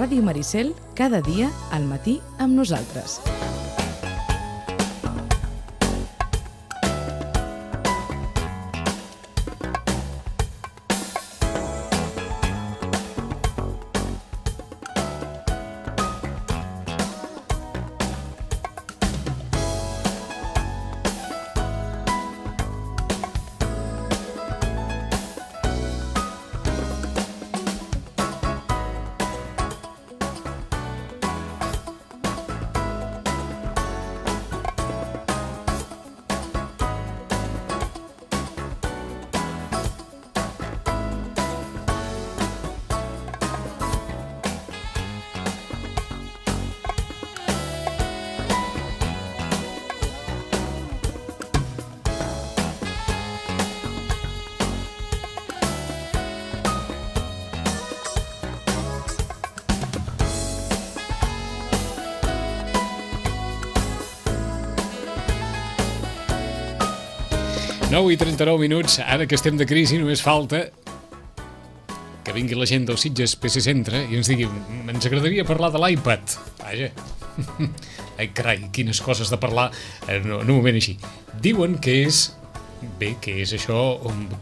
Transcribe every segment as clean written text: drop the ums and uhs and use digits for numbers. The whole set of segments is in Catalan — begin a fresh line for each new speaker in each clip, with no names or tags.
Ràdio Maricel, cada dia al matí amb nosaltres.
I 39 minuts, ara que estem de crisi només falta que vingui la gent del Sitges PC Centre i ens digui, ens agradaria parlar de l'iPad. Vaja, ai carai, quines coses de parlar en un moment així. Diuen que és això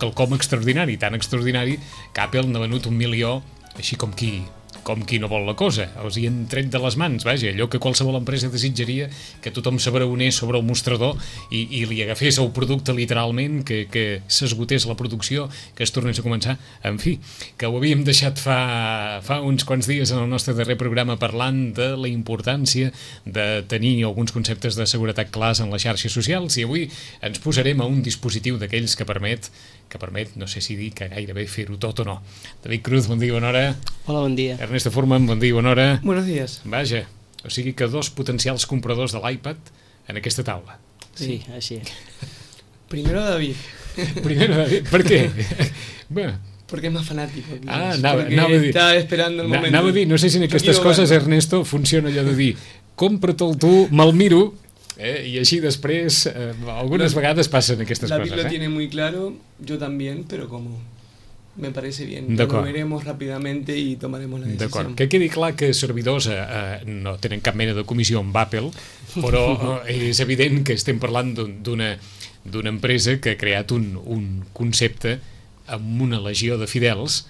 quelcom extraordinari, tan extraordinari que Apple n'ha venut 1 milió, així com qui no vol la cosa. Els hi han tret de les mans, vaja, allò que qualsevol empresa desitjaria, que tothom s'abraonés sobre el mostrador i li agafés el producte literalment, que s'esgotés la producció, que es tornés a començar. En fi, que ho havíem deixat fa uns quants dies en el nostre darrer programa parlant de la importància de tenir alguns conceptes de seguretat clars en les xarxes socials, i avui ens posarem a un dispositiu d'aquells que permet, no sé si dir que gairebé fer-ho tot o no. David Cruz, bon dia, bona hora.
Hola, bon dia.
Ernesto Furman, bon dia, bona hora.
Buenos días.
Vaja, o sigui que 2 potencials compradors de l'iPad en aquesta taula.
Sí, així es.
Primero David.
¿Por qué? Bueno.
Porque es más fanático.
Anava a dir.
Estaba esperando el momento.
Anava a dir, no sé si en aquestes coses, Ernesto, funciona allò de dir, compra-te'l tu, me'l miro, i així després, algunes vegades passen aquestes coses.
David lo tiene muy claro, yo también, pero como me parece bien. Lo veremos rápidamente y tomaremos la decisión.
D'acord, que quedi clar que servidors no tenen cap mena de comissió amb Apple, però és evident que estem parlant d'una empresa que ha creat un concepte amb una legió de fidels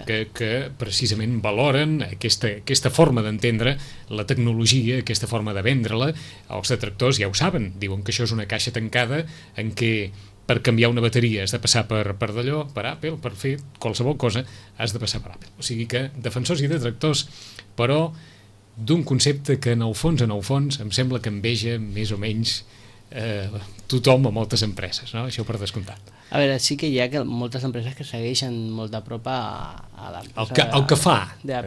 que precisament valoren aquesta forma d'entendre la tecnologia, aquesta forma de vendre-la. Els detractors ja ho saben, diuen que això és una caixa tancada en què per canviar una bateria has de passar per d'allò, per Apple, per fer qualsevol cosa has de passar per Apple. O sigui que defensors i detractors, però d'un concepte que en el fons em sembla que enveja més o menys tothom a moltes empreses, no? Això per descomptat.
A veure, sí que hi ha moltes empreses que segueixen molt de prop a l'empresa...
El que fa.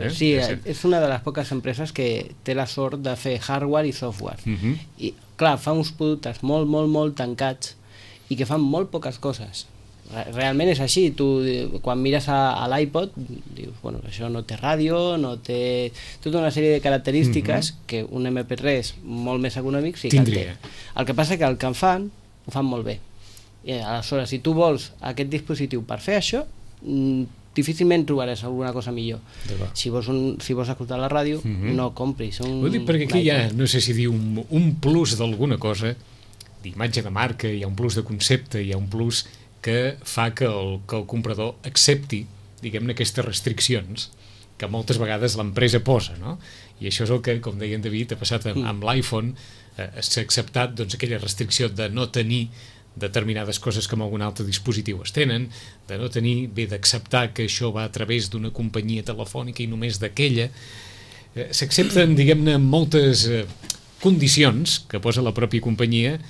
Sí, és una de les poques empreses que té la sort de fer hardware i software. I, clar, fa uns productes molt tancats i que fan molt poques coses. Realment és així. Tu, quan mires a l'iPod, dius, bueno, això no té ràdio, no té tota una sèrie de característiques que un MP3 molt més econòmic sí que el té. El que passa que el que en fan, ho fan molt bé. I aleshores, si tu vols aquest dispositiu per fer això, difícilment trobaràs alguna cosa millor. Si vols escoltar la ràdio, no compris.
Ho dic perquè aquí hi ha, no sé si dir, un plus d'alguna cosa, d'imatge de marca, hi ha un plus de concepte, hi ha un plus que fa que el comprador accepti, diguem-ne, aquestes restriccions que moltes vegades l'empresa posa, no? I això és el que, com deia en David, ha passat amb l'iPhone, s'ha acceptat aquella restricció de no tenir determinades coses que amb algun altre dispositiu es tenen, de no tenir, d'acceptar que això va a través d'una companyia telefònica i només d'aquella. S'accepten, diguem-ne, moltes condicions que posa la pròpia companyia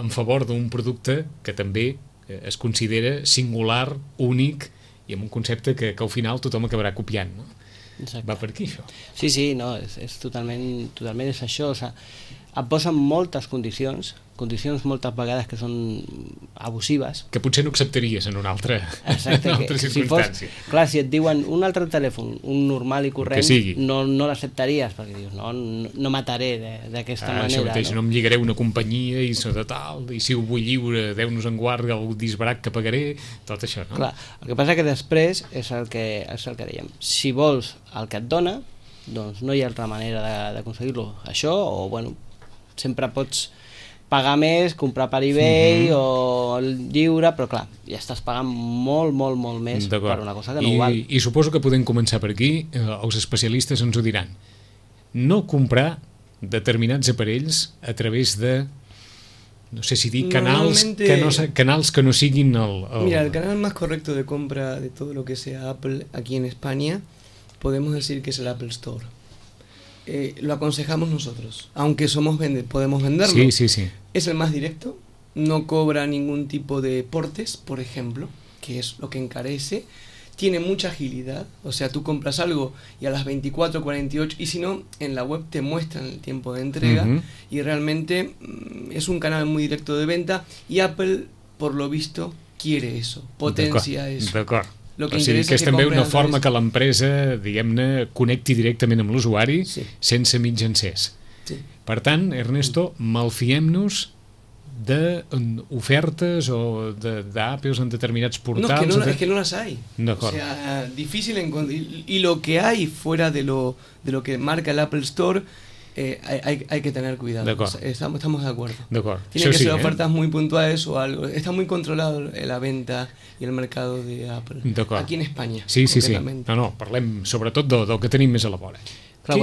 en favor d'un producte que també es considera singular, únic i amb un concepte que al final tothom acabarà copiant, no?
Exacte.
Va per aquí, això.
Sí, no, és totalment és això. O sigui, et posen moltes condicions moltes vegades que són abusives.
Que potser no acceptaries en una altra circumstància.
Clar, si et diuen un altre telèfon, un normal i corrent, no l'acceptaries, perquè dius, no mataré d'aquesta manera.
Això mateix, no em lligaré una companyia i si ho vull lliure, Déu-nos en guard, el disbarat que pagaré, tot això, no?
Clar, el que passa que després és el que dèiem. Si vols el que et dona, doncs no hi ha altra manera d'aconseguir-lo. Això, o bueno, sempre pots pagar més, comprar per eBay o lliure, però clar, ja estàs pagant molt més per una cosa que no ho val.
I suposo que podem començar per aquí, els especialistes ens ho diran. No comprar determinats aparells a través de, no sé si dir, canals que no siguin
Mira, el canal más correcto de compra de todo lo que sea Apple aquí en España, podemos decir que es el Apple Store. Lo aconsejamos nosotros, aunque podemos venderlo.
Sí.
Es el más directo, no cobra ningún tipo de portes, por ejemplo, que es lo que encarece. Tiene mucha agilidad, o sea, tú compras algo y a las 24, 48, y si no, en la web te muestran el tiempo de entrega, y realmente es un canal muy directo de venta, y Apple, por lo visto, quiere eso, potencia eso.
D'acord. O sigui que és també una forma que l'empresa, diguem-ne, connecti directament amb l'usuari sense mitjancers.
Sí.
Per tant, Ernesto, malfiem-nos d'ofertes o d'Apple en determinats portals.
No, es que no las hay.
O
sea, difícil encontrar. Y lo que hay fuera de lo que marca el Apple Store, hay que tener cuidado. Estamos de acuerdo. Tienen que ser ofertas muy puntuales o algo. Está muy controlado la venta i el mercado de Apple. Aquí en España.
Sí. No, parlem sobretot del que tenim més a la vora.
Clar,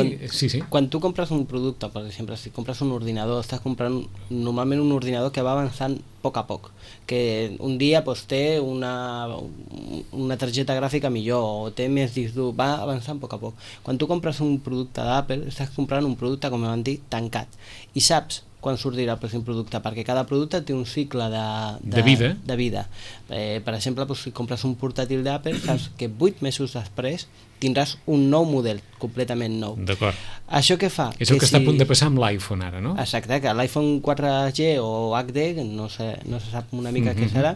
quan tu compres un producte, per exemple, si compres un ordinador, estàs comprant normalment un ordinador que va avançant a poc, que un dia doncs, té una targeta gràfica millor o té més disc dur, va avançant a poc. Quan tu compres un producte d'Apple, estàs comprant un producte, com vam dir, tancat, i saps quan sortirà el pròxim producte, perquè cada producte té un cicle de vida. Per exemple, doncs, si compres un portàtil d'Apple, saps que 8 mesos després tindràs un nou model, completament nou.
D'acord.
Això què fa?
És el que està a punt de passar amb l'iPhone ara, no?
Exacte, que l'iPhone 4G o HD, no se sap una mica què serà,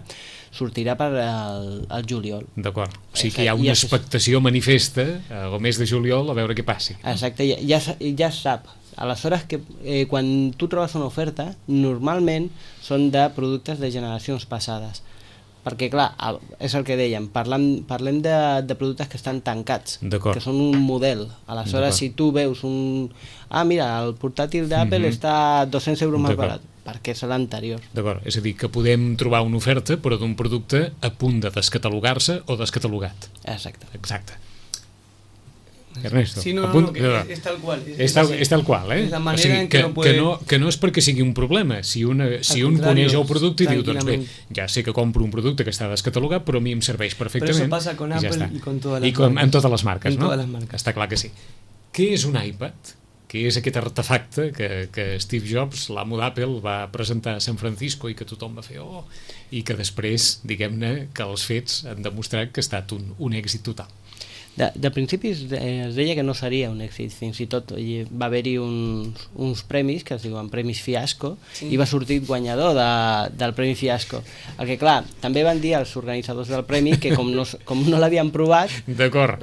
sortirà per al juliol.
D'acord. O sigui que hi ha una expectació manifesta al mes de juliol a veure què passi.
Exacte, ja es sap. Aleshores, quan tu trobes una oferta, normalment són de productes de generacions passades. Perquè, clar, és el que dèiem, parlem de productes que estan tancats, que són un model. Aleshores, si tu veus mira, el portàtil d'Apple està 200 euros més barat, perquè és l'anterior.
D'acord, és a dir, que podem trobar una oferta, però d'un producte a punt de descatalogar-se o descatalogat.
Exacte.
Ernesto,
sí, no, es tal cual.
És tal qual,
Es la manera en que no puede...
que no és perquè sigui un problema. Si un coneix el producte i diu, doncs bé, ja sé que compro un producte que està descatalogat, però a mi em serveix perfectament.
Però això passa con Apple i con todas las
marcas. En totes les marques, no?
En totes les marques.
Està clar que sí. Què és un iPad? Què és aquest artefacte que Steve Jobs, l'amo d'Apple, va presentar a San Francisco i que tothom va fer i que després, diguem-ne, que els fets han demostrat que ha estat un èxit total.
De principi es deia que no seria un èxit, fins i tot va haver-hi uns premis que es diuen Premis Fiasco, i va sortir guanyador del Premi Fiasco. El que, clar, també van dir els organitzadors del premi que com no l'havien provat,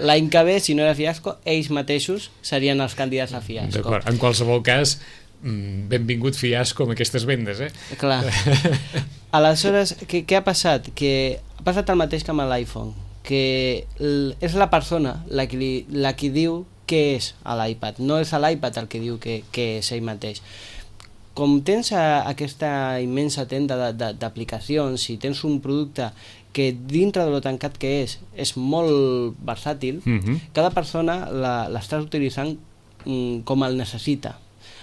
l'any que ve, si no era Fiasco, ells mateixos serien els candidats a Fiasco.
D'acord, en qualsevol cas, benvingut Fiasco amb aquestes vendes,
Clar. Aleshores, què ha passat? Que ha passat el mateix que amb l'iPhone, que és la persona la que diu què és l'iPad, no és l'iPad el que diu què és ell mateix. Com tens aquesta immensa tenda d'aplicacions, si tens un producte que dintre de lo tancat que és molt versàtil, cada persona l'estàs utilitzant com el necessita.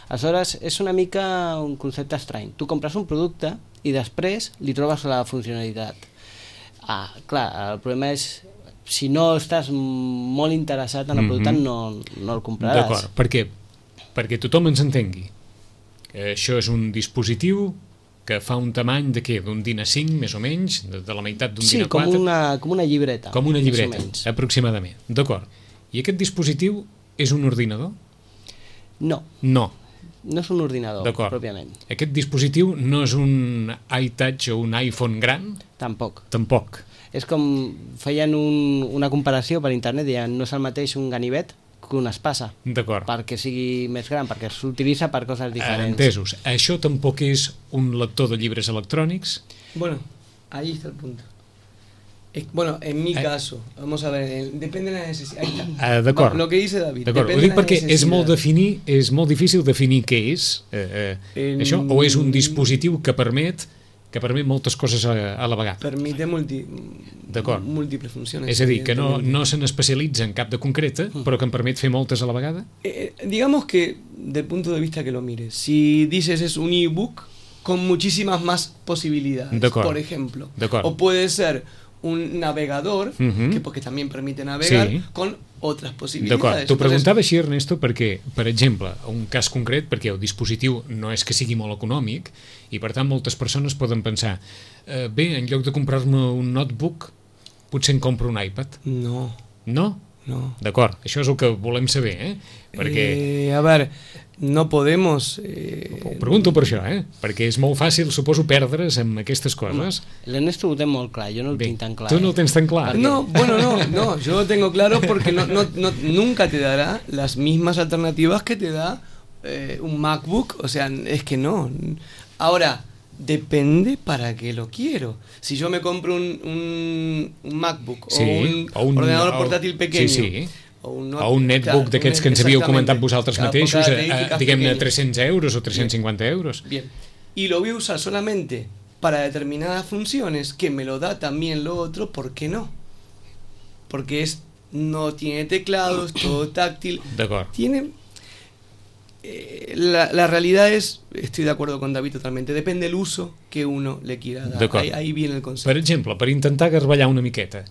Aleshores, és una mica un concepte estrany. Tu compres un producte i després li trobes la funcionalitat. Clar, el problema és si no estàs molt interessat en el producte no el compraràs.
D'acord, per què? Perquè tothom ens entengui. Això és un dispositiu que fa un tamany de què? D'un DIN A5, més o menys, de la meitat d'un DIN A4?
Sí, com una llibreta.
Com una llibreta, aproximadament. D'acord. I aquest dispositiu és un ordinador?
No.
No.
No és un ordinador, pròpiament.
Aquest dispositiu no és un iTouch o un iPhone gran?
Tampoc. És com feien una comparació per internet, deien no és el mateix un ganivet que una espasa.
D'acord.
Perquè sigui més gran, perquè s'utilitza per coses diferents.
Entesos. Això tampoc és un lector de llibres electrònics?
Bueno, ahí está el punto. Bueno, en mi caso, vamos a ver, depende de la necesidad. Ahí está.
D'acord.
Lo que dice David.
D'acord, ho
depende
dic
de la
perquè
necesidad.
és molt difícil definir què és això, o és un dispositiu que permet moltes coses a la vegada.
Permite múltiples funciones.
És a dir, que no se n'especialitza en cap de concreta, però que em permet fer moltes a la vegada?
Digamos que, del punto de vista que lo mires, si dices es un ebook con muchísimas más posibilidades, por ejemplo. O puede ser un navegador, que porque también permite navegar, con otras possibilitats.
D'acord, t'ho preguntava així, Ernesto, perquè, per exemple, un cas concret, perquè el dispositiu no és que sigui molt econòmic, i per tant moltes persones poden pensar bé, en lloc de comprar-me un notebook, potser em compro un iPad.
No.
No?
No.
D'acord, això és el que volem saber, perquè...
A ver, no podemos...
Ho pregunto per això, perquè és molt fàcil, suposo, perdre's amb aquestes coses.
L'Ernesto ho té molt clar, jo no el tinc tan clar.
Tu no ho tens tan clar?
No, bueno, no, yo lo tengo claro porque nunca te dará las mismas alternativas que te da un MacBook, o sea, es que no. Ahora, depende para qué lo quiero. Si yo me compro un MacBook o un ordenador portàtil pequeño,
o un netbook d'aquests que ens havíeu comentat vosaltres mateixos, diguem-ne 300 euros o 350 euros.
Bien, y lo voy a usar solamente para determinadas funciones, que me lo da también lo otro, ¿por qué no? Porque no tiene teclado, es todo táctil. Tiene... la realidad es, estoy de acuerdo con David totalmente, depende del uso que uno le quiera dar. Ahí viene el concepto.
Per exemple, per intentar garballar una miqueta,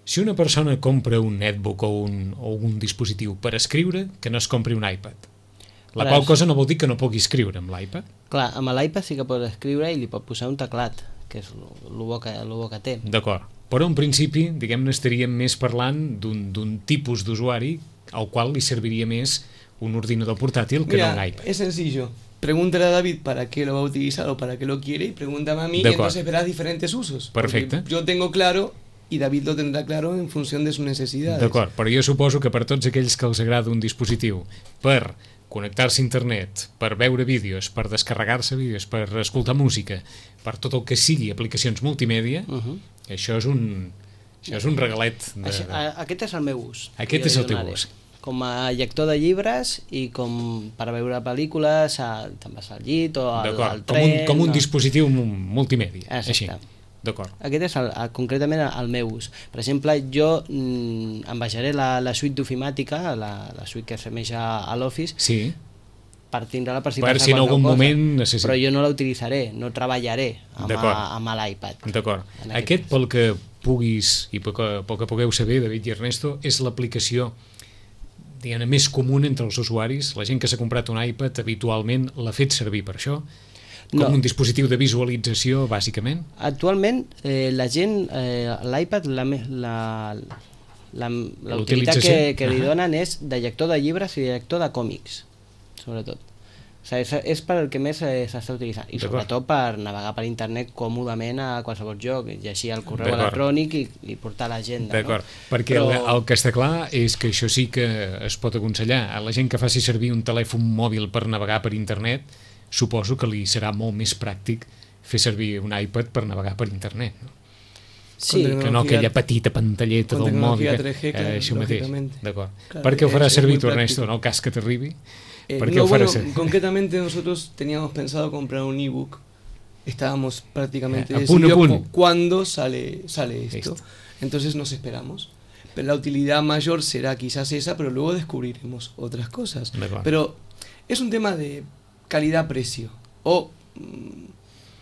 si una persona compra un netbook o un dispositiu per escriure, que no es compri un iPad. La qual cosa no vol dir que no pugui escriure amb l'iPad.
Clar, amb l'iPad sí que pot escriure i li pot posar un teclat, que és el bo que té.
D'acord, però en principi, diguem-ne, estaríem més parlant d'un tipus d'usuari al qual li serviria més un ordinador portátil que no un iPad.
Es sencillo. Pregúntale a David para qué lo va a utilizar o para qué lo quiere y pregúntame a mí y entonces verás diferentes usos.
Perfecte.
Yo tengo claro y David lo tendrá claro en función de sus necesidades.
D'acord, però jo suposo que per tots aquells que els agrada un dispositiu per connectar-se a internet, per veure vídeos, per descarregar-se vídeos, per escoltar música, per tot el que sigui aplicacions multimèdia, això és un regalet.
Aquest és el meu ús.
Aquest és el teu ús.
Com a lector de llibres i com per veure pel·lícules, te'n vas al llit o al tren...
Com un dispositiu multimèdia.
Exacte.
D'acord.
Aquest és concretament el meu ús. Per exemple, jo em baixaré la suite d'ofimàtica, la suite que s'asemeja a l'Office, per tindre-la per si passa
en algun moment necessita.
Però jo no la utilitzaré, no treballaré amb l'iPad.
D'acord. Aquest, pel que puguis i pel que pugueu saber, David i Ernesto, és l'aplicació més comuna entre els usuaris. La gent que s'ha comprat un iPad habitualment l'ha fet servir per això, com un dispositiu de visualització, bàsicament.
Actualment, la gent, l'iPad, l'utilitat que li donen és de lector de llibres i de lector de còmics, sobretot. O sigui, és per el que més s'està utilitzant. I sobretot per navegar per internet còmodament a qualsevol lloc, llegir el correu electrònic i portar l'agenda.
D'acord, perquè el que està clar és que això sí que es pot aconsellar. A la gent que faci servir un telèfon mòbil per navegar per internet, suposo que li serà molt més pràctic fer servir un iPad per navegar per internet.
Sí,
que no aquella petita pantalleta del mòbil. Això mateix. D'acord. Per què ho farà servir tu, Ernesto, en el cas que t'arribi?
Concretamente nosotros teníamos pensado comprar un ebook. Estábamos prácticamente
decididos
cuándo sale esto. Entonces nos esperamos. Pero la utilidad mayor será quizás esa, pero luego descubriremos otras cosas. Pero es un tema de calidad-precio. O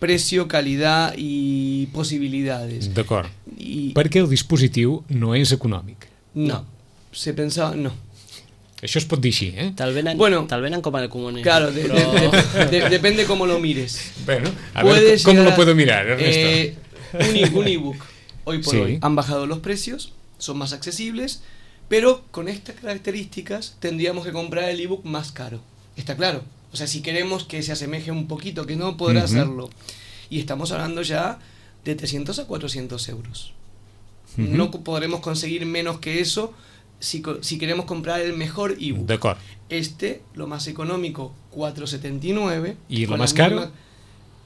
precio, calidad i possibilitats.
D'acord. Perquè el dispositiu no és econòmic.
No. Se pensaba, no.
Això es pot dir així,
Te'l venen com a común.
Claro, depende cómo lo mires.
Bueno, a ver, ¿cómo lo puedo mirar, Ernesto?
Un ebook, hoy por hoy, han bajado los precios, son más accesibles, pero con estas características tendríamos que comprar el ebook más caro. Está claro. O sea, si queremos que se asemeje un poquito, que no podrá hacerlo. Y estamos hablando ya de 300 a 400 euros. No podremos conseguir menos que eso si queremos comprar el mejor ebook.
D'acord.
Lo más económico, 4,79.
¿Y lo más caro?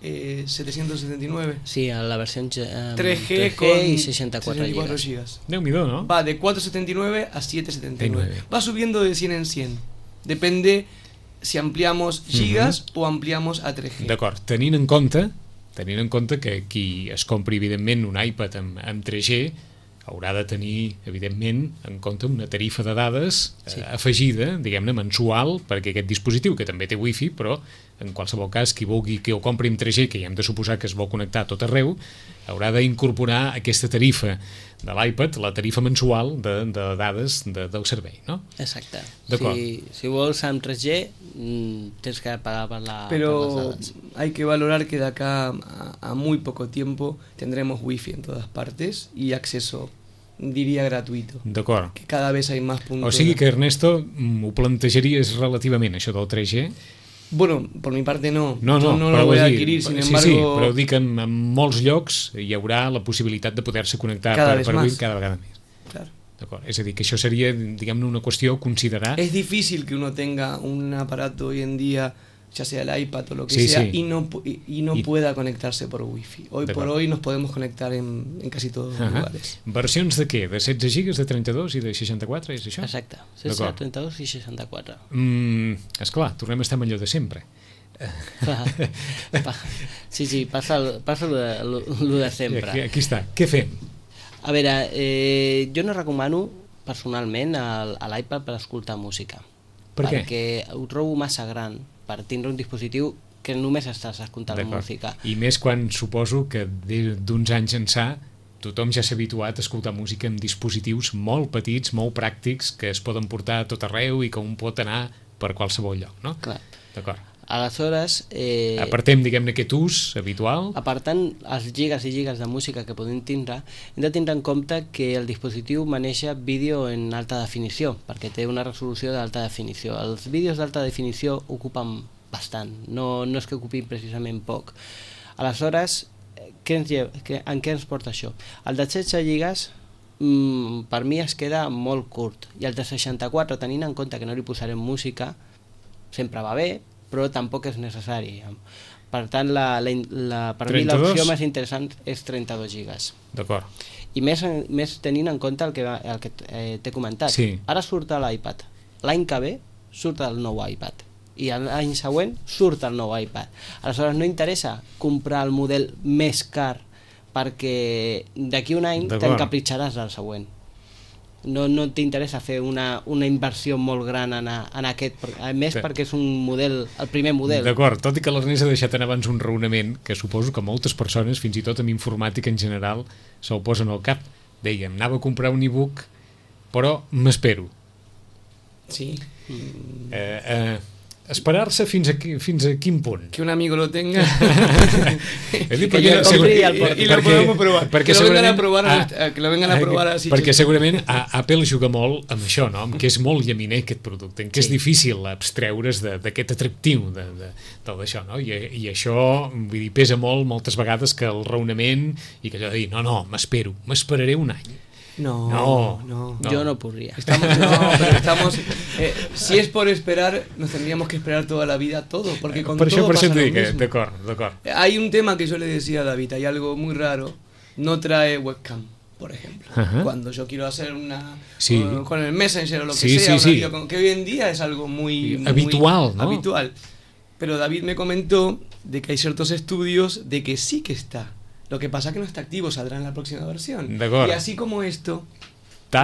779.
Sí, a la versió
3G con
y 64
64
GB.
gigas.
Déu-n'hi-do, no?
Va de 479 a 779. Va subiendo de 100 en 100. Depende si ampliamos gigas o ampliamos a 3G.
D'acord, tenint en compte que qui es compri, evidentment, un iPad amb 3G haurà de tenir, evidentment, en compte una tarifa de dades afegida, diguem-ne, mensual, perquè aquest dispositiu, que també té wifi, però en qualsevol cas, qui vulgui que ho compri amb 3G, que ja hem de suposar que es vol connectar a tot arreu, haurà d'incorporar aquesta tarifa de l'iPad, la tarifa mensual de dades del servei, no?
Exacte.
D'acord.
Si vols amb 3G, tens que pagar per les
Pero
dades.
hay que valorar que de acá a muy poco tiempo tendremos wifi en todas partes y acceso, diría, gratuito.
D'acord.
Que cada vez hay más puntos.
O sigui que, Ernesto, ho plantejaries relativament, això del 3G?
Bueno, por mi parte no.
No,
Yo no
però
lo voy a
vull dir,
adquirir, sin
sí,
embargo...
Sí, però dic que en molts llocs hi haurà la possibilitat de poder-se connectar
Cada
per
vez
wifi
más.
cada vegada més.
Claro.
D'acord. És a dir, que això seria, diguem-ne, una qüestió a considerar.
Es difícil que uno tenga un aparato hoy en día, ya sea el iPad o lo que
Sí,
sea,
sí.
y no pueda conectarse por wifi. Hoy por
D'acord.
hoy nos podemos conectar en casi todos los lugares.
Versions de què? De 16 gigas, de 32 i de 64, és això?
Exacte. 16, 32 i 64.
Esclar, tornem a estar amb allò de sempre.
Sí, passa lo de sempre.
Aquí està. Què fem?
A veure, jo no recomano personalment a l'iPad per escoltar música.
Per què?
Perquè ho trobo massa gran per tindre un dispositiu que només estàs escoltant música.
I més quan suposo que d'uns anys ençà tothom ja s'ha habituat a escoltar música amb dispositius molt petits, molt pràctics, que es poden portar a tot arreu i que un pot anar per qualsevol lloc, no?
Clar.
D'acord.
Aleshores...
Apartem, diguem-ne, aquest ús habitual.
Apartant els gigas i gigas de música que podem tindre, hem de tindre en compte que el dispositiu maneja vídeo en alta definició, perquè té una resolució d'alta definició. Els vídeos d'alta definició ocupen bastant, no és que ocupin precisament poc. Aleshores, en què ens porta això? El de 16 gigas per mi es queda molt curt, i el de 64, tenint en compte que no li posarem música, sempre va bé, però tampoc és necessari. Per tant, per mi l'opció més interessant és 32 gigas.
D'acord.
I més tenint en compte el que t'he comentat.
Sí.
Ara surt l'iPad. L'any que ve surt el nou iPad. I l'any següent surt el nou iPad. Aleshores no interessa comprar el model més car perquè d'aquí un any t'encapritxaràs al següent. No t'interessa fer una inversió molt gran en aquest, a més perquè és un model, el primer model.
D'acord, tot i que l'Ernest ha deixat en abans un raonament que suposo que moltes persones, fins i tot amb informàtica en general, se'l posen al cap. Dèiem, anava a comprar un e-book, però m'espero.
Sí.
Esperar-se fins a quin punt?
Que un amigo lo tenga
y
lo podemos probar. Que lo vengan a probar así.
Perquè segurament Apple juga molt amb això, no? Amb que és molt llaminer aquest producte, en què és difícil abstreure's d'aquest atractiu d'això, no? I això, vull dir, pesa molt moltes vegades que el raonament i que allò de dir, no, m'esperaré un any.
No.
Yo no podría.
Estamos si es por esperar, nos tendríamos que esperar toda la vida todo, porque con todo pasa lo mismo.
D'acord.
Hay un tema que yo le decía a David, hay algo muy raro, no trae webcam, por ejemplo. Cuando yo quiero hacer con el Messenger o lo que sea, que hoy en día es algo muy
habitual, ¿no?
Habitual. Pero David me comentó de que hay ciertos estudios de que sí que está. Lo que pasa es que no está activo, saldrá en la próxima versión. Y así como esto,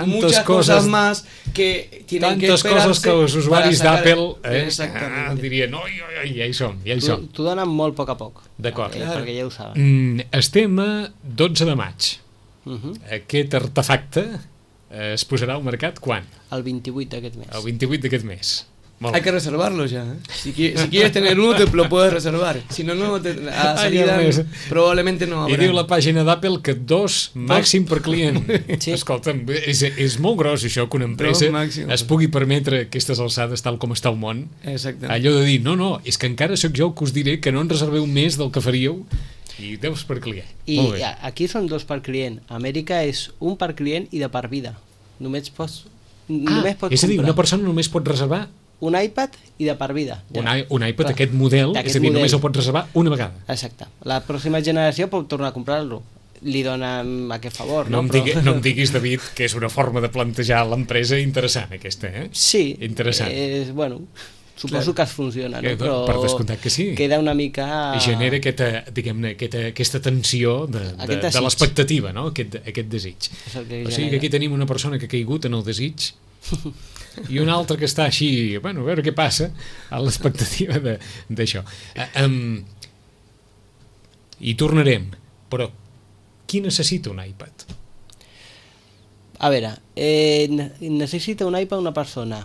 muchas cosas más que tienen que esperarse.
Tantes coses que els usuaris d'Apple dirien, ja hi som.
T'ho donen molt a poc a poc.
D'acord.
Perquè ja ho saben.
Estem a 12 de maig. Aquest artefacte es posarà al mercat quan?
El 28 d'aquest mes.
El 28 d'aquest mes.
Hay que reservarlo ya. Si quieres tener uno, te lo puedes reservar. Si no, a salida probablement no habrà.
I diu la pàgina d'Apple que 2 màxim per client. Escolta'm, és molt gros això que una empresa es pugui permetre aquestes alçades tal com està el món.
Exactament.
Allò de dir, no, és que encara sóc jo el que us diré que no en reserveu més del que faríeu i 10 per client.
I aquí són 2 per client. A Amèrica és 1 per client i de per vida. Només pots
és a dir, una persona només pot reservar
un iPad i de per vida.
Un iPad, aquest model, és a dir, només el pots reservar una vegada.
Exacte. La pròxima generació pot tornar a comprar-lo. Li donen aquest favor.
No em diguis, David, que és una forma de plantejar l'empresa interessant, aquesta, eh?
Sí.
Interessant.
Bueno, suposo que es funciona, no? Però
per descomptat que sí.
Queda una mica...
I genera aquesta tensió de l'expectativa, no? Aquest desig. O sigui que aquí tenim una persona que ha caigut en el desig i un altre que està així, bueno, a veure què passa, a l'expectativa d'això. Hi tornarem, però qui necessita un iPad?
A veure, necessita un iPad una persona,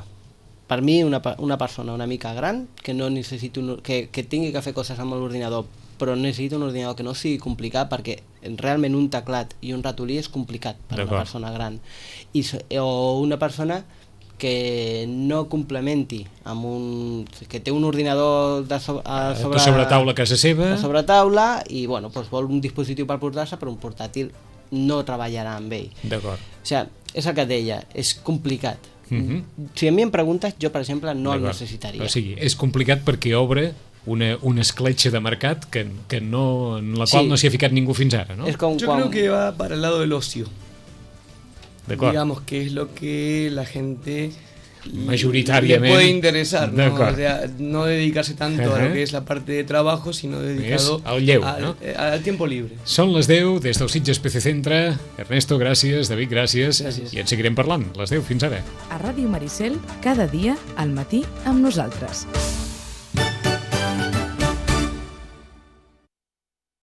per mi una persona una mica gran, que no necessiti que tingui que fer coses amb l'ordinador, però necessita un ordinador que no sigui complicat, perquè realment un teclat i un ratolí és complicat per una persona gran, o una persona que no complementi que té un ordinador de
sobretaula a casa seva,
de sobretaula, i bueno, doncs vol un dispositiu per portar-se, però un portàtil no treballarà amb ell.
D'acord.
O sigui, és el que et deia, és complicat. Si a mi em preguntes, jo per exemple no el necessitaria.
O sigui, és complicat perquè obre una escletxa de mercat en la qual no s'hi ha ficat ningú fins ara, ¿no?
Yo creo que va para el lado del ocio.
Digamos
que es lo que la gente
mayoritariamente
le puede interesar, ¿no? O sea, no dedicarse tanto a lo que es la parte de trabajo, sino dedicado al tiempo libre.
Són les 10 des del Sitges PC Centre. Ernesto, gràcies. David, gràcies. I en seguirem parlant. Les 10, fins ara.
A Ràdio Maricel, cada dia al matí amb nosaltres.